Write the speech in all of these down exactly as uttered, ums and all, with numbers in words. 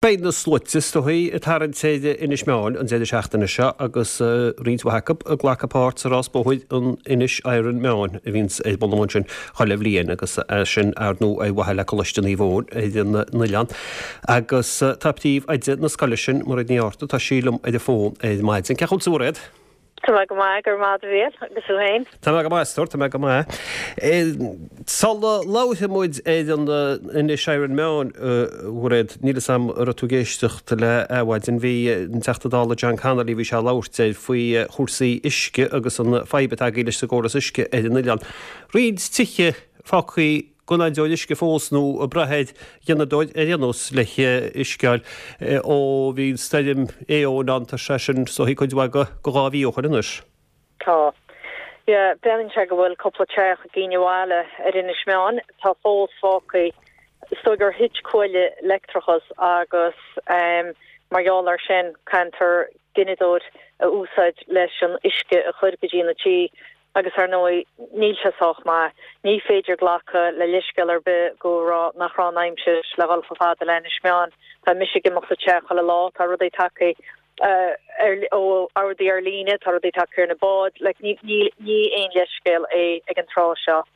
Beidh na sluaite is dóichí ag tarraingt ar Inis Meáin an deireadh seachtaine seo agus roinnt mhaith acu ag glacadh páirt sa rás bóthair an Inis Iron Meáin a bhíonns ar bun ansin chuile bhliain agus é sin ar ndóigh ar mhaithe le Coláiste Naomh Eoin ar an oileán. Agus tá príomhoide na scoile sin, Mairéad Ní Fhátharta, tá sí liom ar an bhfón ar maidin. Cén chaoi a bhfuil tú, a Mhairéad? Tá mé go maith, go raibh maith agat a Mhíchíl, agus tú féin? Tá mé go maith, a stór, tá mé go maith. Sula labhraíonn muid ar an Inis Iron Meáin, a Mhairéad, níl 'fhios a'm an raibh tú ag éisteacht le Adhmhaidin, bhí an Teachta Dála John Connolly, bhí sé ag labhairt air faoi chúrsaí uisce agus an fadhb atá agaibh leis an gcóras uisce ar an oileán. Roinnt tithe fágtha gan aon deoir uisce fós nó ag brath ar ghineadóir ar aon nós le huisce a fháil ó bhí stoirm Éowyn ann, tá sé sin is dóichí cuid mhaith de dhá mhí ó shoin anois. Tá. Yeah, breathnaíonn sé go bhfuil cúpla teach againn abhaile ar Inis Meáin atá fós fágtha, is dóigh gur thit cuaille leictreachais agus mar gheall air sin caithfear gineadóir a úsáid leis an uisce a chur go dtí na tithe. Agus ar ndóigh, níl sé sách maith. Ní féidir glacadh le leithscéal ar bith go raibh, nach raibh an aimsir le dhul chomh fada le Inis Meáin. Tá mise ag imeacht sa teach chuile lá, tá rudaí tagtha ar, ó ordaí ar líne, tá rudaí tagtha ar na báid, like ní, ní, ní aon leithscéal é ag an tráth seo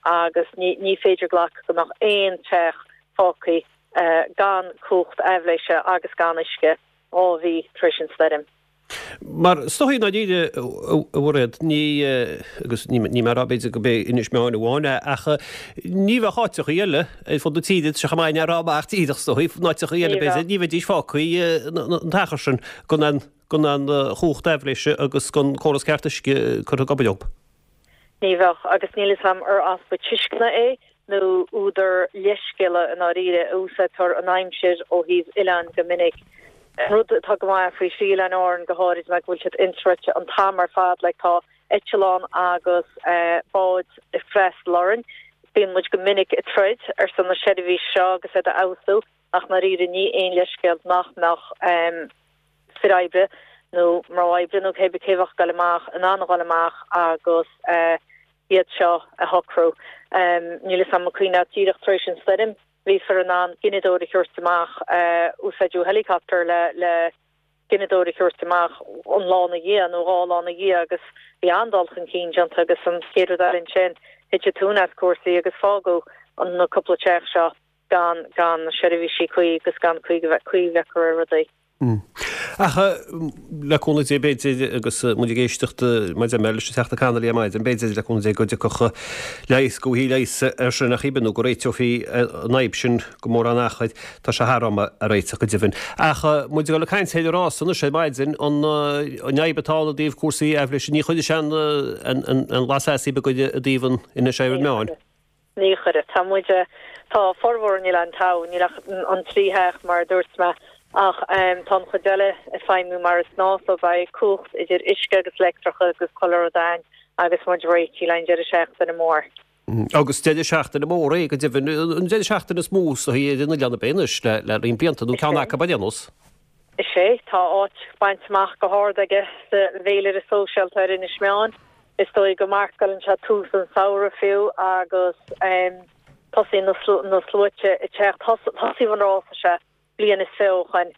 agus ní, ní féidir glacadh go mbeadh aon teach fágtha gan cumhacht aibhléise agus gan uisce dhá mhí tar éis an stoirm. Mar is dóichí i ndáiríre, a Mhairéad, ní, agus níl mé ag rá b'fhéidir go b'é Inis Meáin amháin é, ach ní bheadh áiteachaí eile ar fud na tíre, tá sé chomh maith é a rá amach díreach is dóichí, in áiteachaí eile b'fhéidir, ní bheidís fágtha an t-achar sin gan an, gan an chumhacht aibhléise agus gan córas ceart uisce curtha ag obair dóibh. Ní bheadh, agus níl 'fhios a'm ar easpa tuisceana é nó údar leithscéala i ndáiríre, a úsáidtear an aimsir ó thaobh oileáin go minic. An rud atá go maith faoi thrí Oileáin Árann go háirid ná go bhfuil siad insroichte an t-am ar fad, like tá eitleán agus báid ag freastal orainn. Bíonn muid go minic ag troid ar son na seirbhíse seo agus iad a fheabhsú ach i ndáiríre ní aon leithscéal nach mbeadh fir oibre nó mná oibre nó cé bith cé bheadh ag dul amach in ann a dhul amach agus iad seo a shocrú. Níl 'fhios a'm an cuimhin leat díreach tar éis an stoirm bhí fir in ann gineadóir a thabhairt amach, úsáideadh helicopter le le gineadóir a thabhairt amach an lá ina dhiaidh nó dhá lá ina dhiaidh agus bhí an-dul chun cinn déanta agus an chéad rud eile ansin thit an tóin as cúrsaí agus fágadh na cúpla teach seo gan gan na seirbhísí cuí agus gan caoi a bheith caoi a bheith acu ar rudaí. Ach le cúnamh Dé b'fhéidir, agus muid ag éisteacht mar a deir mé leis an Teachta Connolly ar maidin, b'fhéidir le cúnamh Dé go dtiocfadh leigheas, go bhfaighfí leigheas air sin ach cibé nó go réiteofaí an fhadhb sin go mórán achair, tá sé thar am a réiteach go deimhin. Ach muid ag dul ag caint ar an rás anois ar maidin, an fhadhb atá ann i dtaobh cúrsaí aibhléise, ní chuirfidh sé an lasair beag i dtaobh an Inis Iron Meáin. Ní chuirfidh. Tá muid, tá formhór an oileáin togha, níl ach an trí theach mar a dúirt mé, ach tá an chuid eile ag feidhmiú mar is gnáth so beidh cumhacht idir uisce agus leictreachas agus chuile rud a'ainn agus muid réitithe le an deireadh seachtaine mór. Agus deireadh seachtaine mór é go deimhin, an deireadh seachtaine is mó is dóichí ar an oileán ab é anois le le roinnt blianta nó ceann acu ar aon nós. Is é, tá áit bainte amach go hard aige sa bhféilire sóisialta ar Inis Meáin. Is dóigh go marcálann sé tús an samhradh fiú agus tosaíonn na sluaite ag teacht. Thosaigh an rása seo bliain is fiche ó shoin.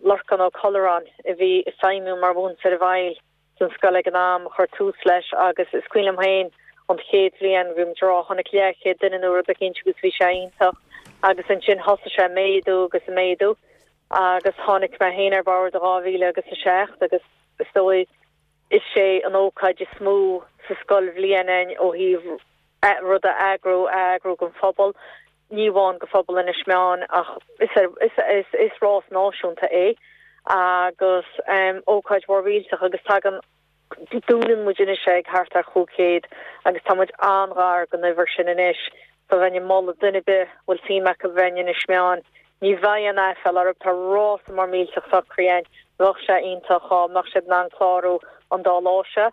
Lorcán Ó Colláin a bhí ag feidhmiú mar mhúinteoir bhaile san scoil ag an am a chuir tús leis agus is cuimhin liom féin an chéad bhliain bhí muid ag rá tháinig leathchéad duine nó rud eicínt agus bhí sé iontach agus ansin thosaigh sé ag méadú agus ag méadú agus tháinig mé féin ar bord i dhá mhíle agus a seacht agus is dóigh is é an ócáid is mó sa scoilbhliain againn ó thaobh rud a eagrú, a eagrú don phobal, ní amháin do phobal Inis Meáin ach is is is rás náisiúnta é agus ócáid mhór mhillteach agus tagann Dúnann muid anois é ag thart ar chúig chéad agus tá muid an-ghar don uimhir sin anois so bheinn ag moladh duine ar bith a bhfuil suim acu bheith in Inis Meáin, ní bheidh aon aiféala orthu, tá rása mór millteach socraithe againn, bheadh sé iontach dhá mbeadh siad in ann clárú an dá lá seo.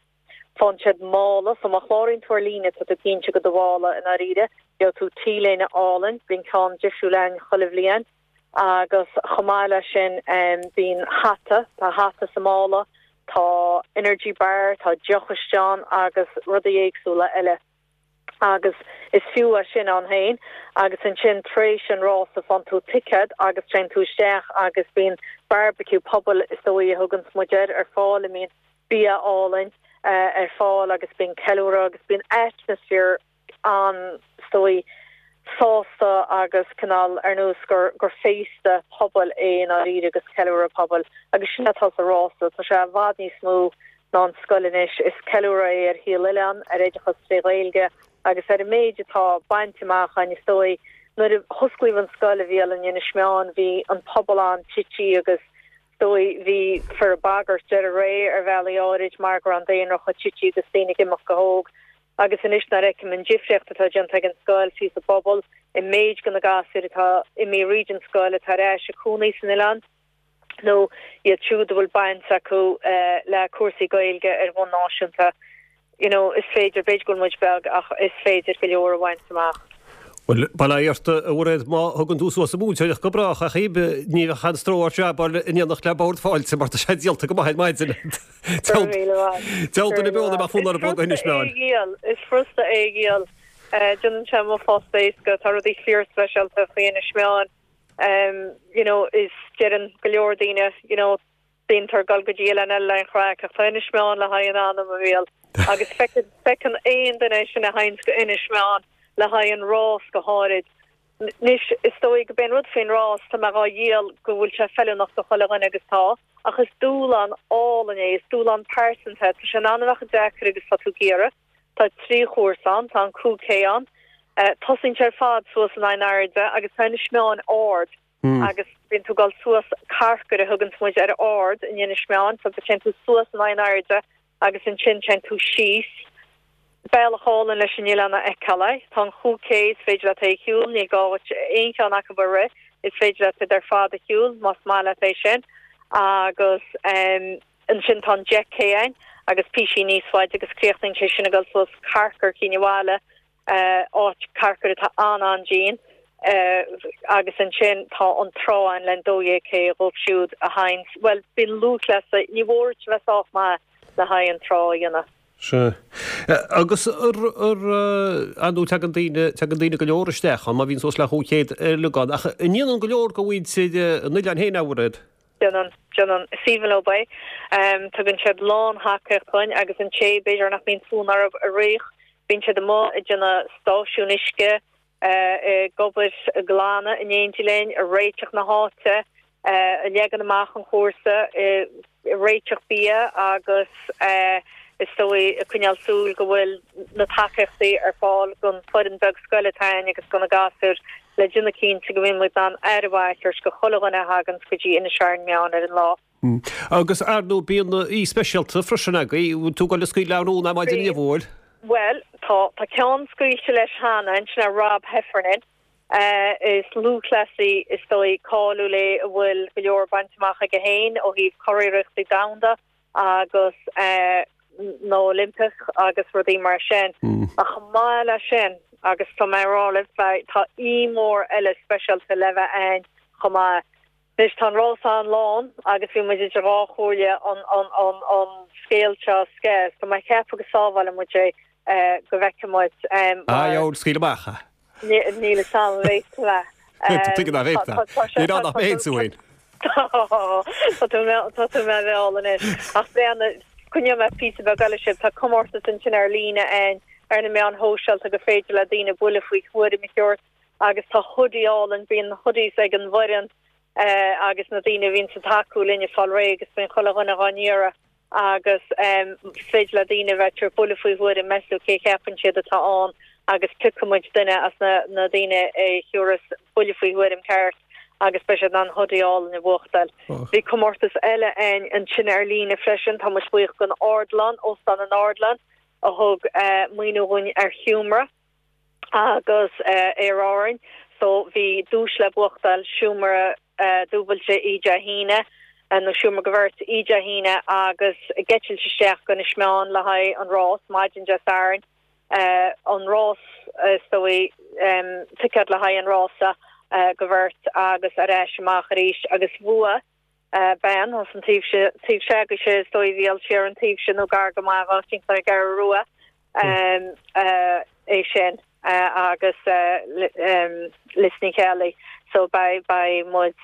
Faigheann siad mála, so má chláraíonn tú ar líne tá tú cinnte go do mhála i ndáiríre, gheobhaidh tú T-léine álainn, bíonn ceann difriúil againn chuile bhliain. Agus chomh maith leis sin bíonn hata, tá hata sa mála, tá energy bar, tá deoch istigh ann agus rudaí éagsúla eile. Agus is fiú é sin ann féin agus ansin tar éis an rása faigheann tú ticéad agus téann tú isteach agus bíonn barbecue pobail is dóigh a thugann muid air ar fáil a mbíonn bia álainn ar fáil agus bíonn ceiliúradh agus bíonn atmaisféar an is dóigh sásta agus cineál ar nós gur gur féasta pobail é i ndáiríre agus ceiliúradh pobail agus sin atá sa rása tá sé i bhfad níos mó ná an scoil anois is ceiliúradh é ar shaol oileáin ar oideachas tré Ghaeilge agus ar an méid atá bainte amach againn is dóigh nuair a hosclaíodh an scoil a bhí in Inis Meáin bhí an pobal an-tite agus is dóigh bhí fir bagairt deireadh ré ar bhealaí áirid mar go raibh an daonra chomh tite agus daoine ag imeacht go hóg agus anois nuair a fheicim an difríocht atá déanta ag an scoil fiú sa bpobal i méid go na gasúir atá imithe thríd an scoil atá ar ais ag cónaí san oileán nó iad siúd a bhfuil baint acu uh, le cúrsaí Gaeilge ar bhonn náisiúnta. You know, is féidir b'fhéidir go bhfuil muid beag ach is féidir go leor a bhaint amach. Well bail ó Dhia ort a Mhairéad má thugann tú suas an mhúinteoireacht go brách ach ní bheadh an stró ort jabáil in éineacht le bord fáilte mar tá sé díolta go maith ar maidin. Dealta na beola mar fún ar bog Inis Meáin. Is furasta é a dhíol déanann sé mo phost éasca tá rudaí fíorspeisialta faoi Inis Meáin. Um, you know, is deireann go leor daoine you know, bíonn ag gabháil go dtí oileán eile an chraic ach tá Inis Meáin le haghaidh an anam a bhíol agus feiceann aon duine sin a théanns go Inis Meáin le haghaidh an rás go háirid. Anois is dóigh go b'in rud faoin rás tá mé á dhíol go bhfuil sé feiliúnach do chuile dhuine agus tá, ach is dúshlán álainn é, is dúshlán pearsanta, tá sé an-bheag deacair agus tá tú ag iarraidh. Tá trí chúrsa ann, tá an cúig K ann. Uh, tosaíonn sé ar fad suas in airde agus tá Inis Meáin ard mm. agus bíonn tú ag gabháil suas carcair a thugann muid ar ard in Inis Meáin, so téann tú suas in airde agus ansin téann tú síos. Bealach álainn leis an oileán a fheiceáil tá an chúig K is féidir leat é a shiúl ní gá aon cheann acu a rith is féidir leat iad ar fad a shiúl más maith leat é sin agus um, ansin tá an deich K ann agus píosa níos faide agus críochnaíonn sé sin ag gabháil suas carcair Chinn Bhaile uh, áit carcair atá an an-dian uh, agus ansin tá an trá ann le dó dhéag K dóibh siúd a théann well bíonn lúthchleasaithe ní mór bheith sách maith le haghaidh an trá a dhéanamh. Se. Agus an tú tagann daoine tagann daoine go leor isteach an má bhíonn suas le chúig chéad lugan ach an ndéanann go leor go mhuintir an oileáin féin a Mhairéad. Déanann déanann is aoibhinn leo é. Um, tugann siad lán-thacaíocht dúinn agus an té b'fhéidir nach mbíonn fonn orthu a rith, bíonn siad amuigh ag déanamh stáisiún uisce uh, ag obair ag glanadh in éindí linn ag réiteach na háite uh, ag leagan amach an chúrsa uh, réiteach bia agus uh, is dóigh ag coinneáil súil go bhfuil na tacaíochtaí ar fáil don fhoireann beag scoile atá againn agus do na gasúir le déanamh cinnte go bhfuil muid an aire mhaith go chuile dhuine a thagann go dtí Inis Meáin ar an lá. Mm. Agus ar ndóigh bíonn aoi speisialta freisin agaibh tú go le scaoileadh rún am maidin bhfuil? Well tá tá ceann scaoilte leis cheana sin Rob Heffernan. Uh, is lúthchleasaí is dóigh cáiliúil é a bhfuil go leor bainte amach aige féin ó thaobh curiarrachtaí domhanda agus uh, na Oilimpeach agus rudaí mar sin mm. ach maith le sin agus tá mé rá tá aoi mór eile speisialta le bheith ann chomh maith. Anois tá rás an-lán agus bhí muid idir dhá chomhairle an an an an scéal seo sceas Tá mé ag ceapadh go sábhálfaidh muid é uh, go bhfeicfidh muid um, ah, scaoil amach níl sam le Ní nach méid Tá tú mé bheáil ach bhena cunne me pí be sib tá comórtas ansin ar líne an ar na meáin shóisialta go féidir le daoine buille faoi thuairim a thabhairt agus tá hoodie álainn bíonn hoodies ag an bhfoireann uh, agus na daoine bhíonn ag tacú linn fáil réidh agus bíonn chuile dhuine á n-iarraidh agus um, féidir le daoine bheith ag buille faoi thuairim measú cé cheapann siad atá ann agus piocfaidh muid duine as na, na daoine a thiúras buille faoi thuairim ceart agus beidh siad an hoodie álainn a bhuachtáil. Oh. Bhí comórtas eile ann ansin ar líne freisin tá muid buíoch don Ardlann Óstán an Ardlann a thug uh, maoiniú dúinn ar sheomra agus uh, ar Árainn so bhí duais le buachtáil seomra uh, dúbailte oíche Dé hAoine nó seomra do bheirt oíche Dé hAoine agus eitilt isteach go Inis Meáin le haghaidh an rás maidin Dé Sathairn uh, an rás uh, so um, ticket le haghaidh an rása uh, do bheirt agus ar ais amach arís agus bhuaigh uh, bean as an taobh taobh se go sé dóibh bhíal sé an taobh sin nó gar go maith sin ar gar rua um, uh, é sin agus Liz Ní Cheallaigh so beidh beidh muid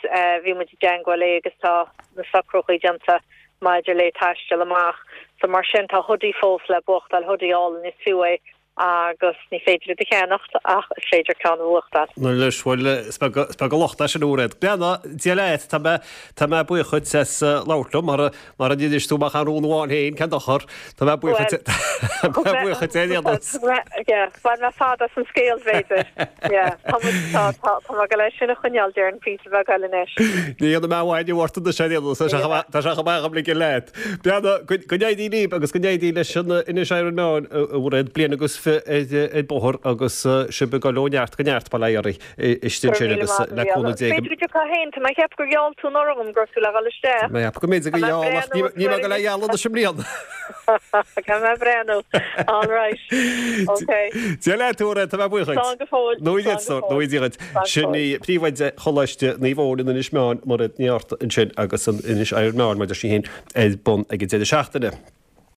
bhí muid i dteagmháil léi agus tá na socrúcháin déanta maidir le taisteal amach so mar sin tá hoodie fós le buachtáil hoodie álainn is fiú é agus ní féidir é a cheannacht ach is féidir ceann a bhuachtáil. Nó leis bhfuil is beag an locht é sin a Mhairéad. Beanna, Dia leat, tá mé tá mé buíoch dhuit as labhairt liom mar mar a d'inis tú amach an rún amháin féin, cén dochar, tá mé buíoch dhuit tá mé buíoch dhuit ar aon nós. Bhain mé fad as an scéal b'fhéidir. Tá tá tá tá mé go leis sin a choinneáil déarfainn píosa beag eile anois. Ní dhéanfaidh mé amháin ort anois ar aon nós, tá sé tá sé chomh maith agam ligean leat. Beanna, go go n-éirí libh agus go n-éirí leis an Inis Iron Meáin a Mhairéad, bliain agus fiche ar bóthar agus sibh ag dul ó neart go neart bail ó Dhia oraibh istigh ansin agus le cúnamh Dé go. B'fhéidir go dtiocfá féin, tá mé ag ceapadh gur gheall tú anuraidh dom go raibh tú le dhul isteach. Mé ag ceapadh go mb'fhéidir gur gheall ach níl mé ag dul a ghealladh anois i mbliana. Caithfidh mé breathnú. All right. Ok. Dia leat a Mhairéad, tá mé buíoch dhuit. Slán go fóill. Nó iad sórt, nó iad dhuit. Sin í príomhoide Choláiste Naomh Eoin in Inis Meáin, Mairéad Ní Fhátharta ansin agus an Inis Iron Meáin, mar a deir sí féin, ar bun ag an deireadh seachtaine.